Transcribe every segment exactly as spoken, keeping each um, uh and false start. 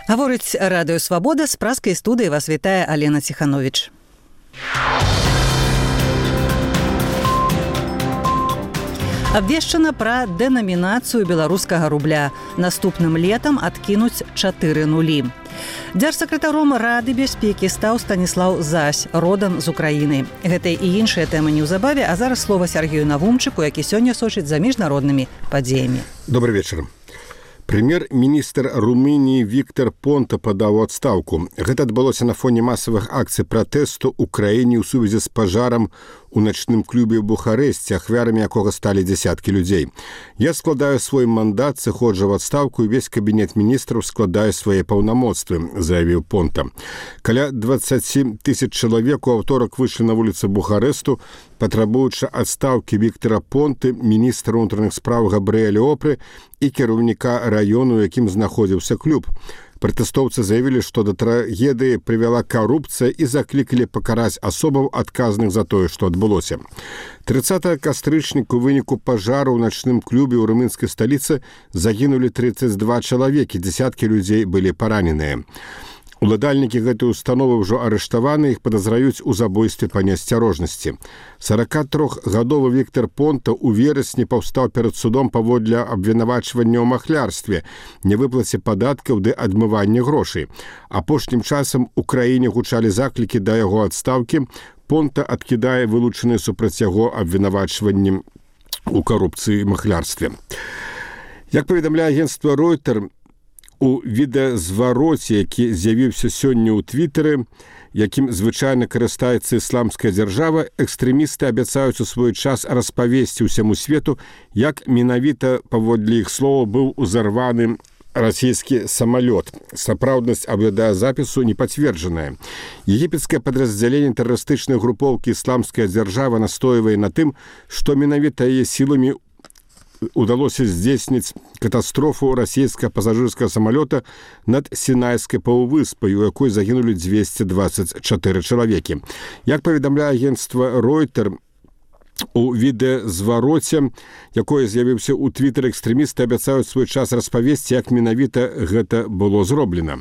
Гаворыць радыё «Свабода», з праскай студыі вас вітае Алена Ціхановіч. Абвешчана пра дэнамінацыю беларускага рубля. Наступным летам адкінуць чатыры нулі. Дзяржсакратаром Рады бяспекі стаў Станіслаў Зась, родам з Украіны. Гэта і іншыя тэмы неўзабаве, а зараз слова Сергею Навумчыку, які сёння сочыць за міжнароднымі падзеямі. Добрый вечар. Прэм'ер-міністр Румыніі Віктор Понта падаў у адстаўку. Гэта адбылося на фоне масавых акцый пратэсту ў краіне ў сувязі з пажарам у начным клубе ў Бухарэсце, ахвярамі якога сталі дзясяткі людзей. Я складаю свой мандат, сыходжу ў адстаўку, і весь кабінет міністраў складае свае паўнамоцтвы, заявіў Понта. Каля дваццаць тысяч чалавек у аўторак выйшлі на вуліцы Бухарэсту, патрабуючы адстаўкі Віктора Понты, міністра ўнутраных спраў Габрыэля Опры і кіраўніка раёну, у якім знаходзіўся клуб. Пратэстоўцы заявілі, што да трагедыі прывяла карупцыя і заклікалі пакараць асобаў, адказных за тое, што адбылося. трыццатага кастрычніка у выніку пажару ў начным клубе ў румынскай сталіцы загінулі трыццаць два чалавекі, дзесяткі людзей былі параненыя. Уладальнікі гэтай установы ўжо арыштаваны, іх падазраюць у забойстве па неасцярожнасці. сорокатрохгадовы Віктор Понта ў верасні паўстаў перад судом паводле абвінавачвання ў махлярстве, невыплаце падаткаў ды адмывання грошай. Апошнім часам у краіне гучалі заклікі да яго адстаўкі. Понта адкідае вылучаныя супраць яго абвінавачванні ў карупцыі і махлярстве. Як паведамляе агенцтва Reuters, у відэазвароце, які з'явіўся сёння ў твітары, якім звычайна карыстаецца ісламская дзяржава, экстрэмісты абяцаюць у свой час распавесці ўсяму свету, як менавіта, паводле іх слова, быў узарваны расійскі самалёт. Сапраўднасць відэазапісу не пацверджаная. Егіпецкае падраздзяленне тэрарыстычнай групоўкі «Ісламская дзяржава» настойвае на тым, што менавіта яе сіламі удалося здзейсніць катастрофу расійскага пасажырскага самалёта над Сінайскай паўвыспай, у якой загінулі дзвесце дваццаць чатыры чалавекі. Як паведамляе агенцтва Reuters, у відэазвароце, якое з'явіўся ў твітары, экстрэмісты абяцаюць свой час распавесці, як менавіта гэта было зроблена.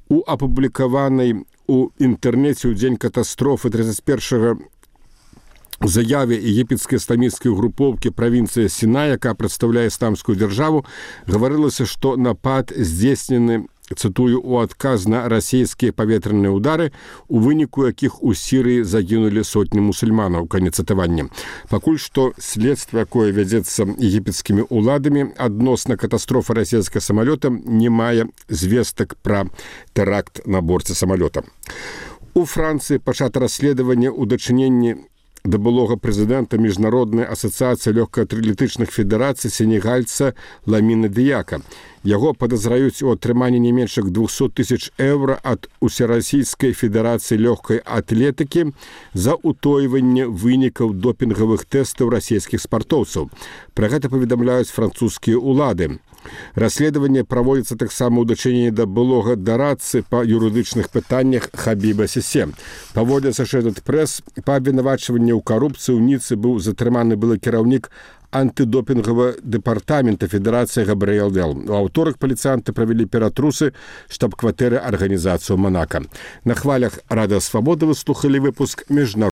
У апублікаванай у інтэрнэце ў дзень катастрофы трыццаць першага заяве егіпецкай ісламісцкай групоўкі правінцыі Сінай, якая прадстаўляе ісламскую дзяржаву, гаварылася, што напад здзейснены, цытую, у адказ на расійскія паветраныя ўдары, у выніку якіх у Сірыі загінулі сотні мусульманаў. Канец цытавання. Пакуль што следства, якое вядзецца егіпецкімі ўладамі адносна катастрофы расійскага самалёта, не мае звестак пра тэракт на борце самалёта. У Францыі пачата расследаванне ў дачыненні да былога прэзідэнта Міжнароднай асацыяцыі лёгкаатлетычных федэрацый сенегальца Ламіна Дыяка. Яго падазраюць у атрыманні не менш як двухсот тысяч еўра ад Усерасійскай федэрацыі лёгкай атлетыкі за ўтойванне вынікаў допінгавых тэстаў расійскіх спартоўцаў. Пра гэта паведамляюць французскія ўлады. Расследаванне праводзіцца таксама ў дачыненні да былога дарадцы па юрыдычных пытаннях Хабіба Сісе. Паводле Associated Press, па абвінавачванні ў карупцыі ў Ніцы быў затрыманы былы кіраўнік антыдопінгавага дэпартамента Федэрацыі Габрыэл Опры. У аўторак паліцыянты правялі ператрусы штаб-кватэры арганізацыі Монака. На хвалях радыё «Свабода» вы слухалі выпуск міжнародных